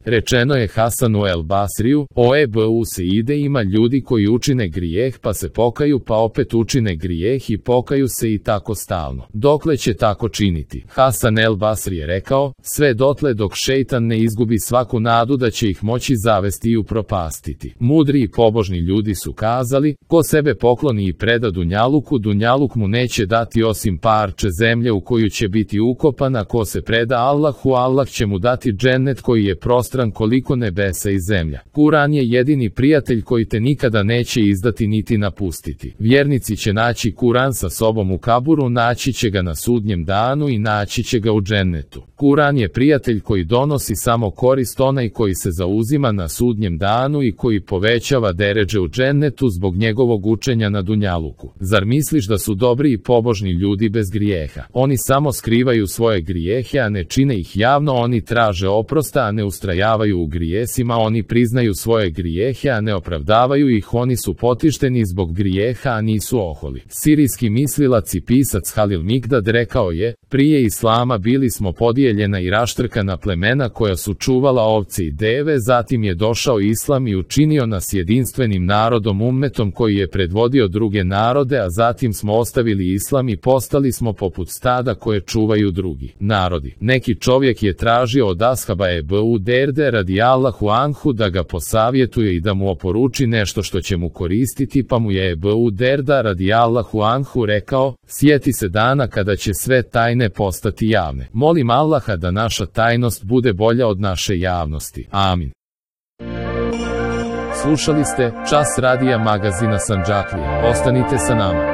Rečeno je Hasanu el Basriju, o Ebu Seide, ima ljudi koji učine grijeh pa se pokaju pa opet učine grijeh i pokaju se i tako stalno. Dokle će tako činiti? Hasan el Basri je rekao, sve dotle dok šejtan ne izgubi svaku nadu da će ih moći zavesti i upropastiti. Mudri i pobožni ljudi su kazali, ko sebe pokloni i preda dunjaluku, dunjaluk mu neće dati osim parče zemlje u koju će biti ukopan, a ko se preda Allahu, Allah će mu dati džennet koji je prostran koliko nebesa i zemlja. Kuran je jedini prijatelj koji te nikada neće izdati niti napustiti. Vjernici će naći Kuran sa sobom u kaburu, naći će ga na sudnjem danu i naći će ga u džennetu. Kuran je prijatelj koji donosi samo korist, onaj koji se zauzima na sudnjem danu i koji povećava deredže u džennetu zbog njegovog učenja na dunjaluku. Zar misliš da su dobri i pobožni ljudi bez grijeha? Oni samo skrivaju svoje grijehe, a ne čine ih javno. Oni traže oprosta, a ne ustrajavaju u grijesima. Oni priznaju svoje grijehe, a ne opravdavaju ih. Oni su potišteni zbog grijeha, a nisu oholi. Sirijski mislilac i pisac Halil Mikdad rekao je, prije islama bili smo podijeljena i raštrkana plemena koja su čuvala ovce i deve, zatim je došao islam i učinio nas jedinstvenim narodom, ummetom koji je predvodio druge narode, a zatim smo ostavili islam i postali smo poput stada koje čuvaju drugi narodi. Neki čovjek je tražio od ashaba Ebu Derde radijallahu anhu da ga posavjetuje i da mu oporuči nešto što će mu koristiti, pa mu je Ebu Derda radijallahu anhu rekao, sjeti se dana kada će sve tajne postati javne. Molim Allaha da naša tajnost bude bolja od naše javnosti. Amin. Slušali ste Čas radija magazina Sandžaklija. Ostanite sa nama.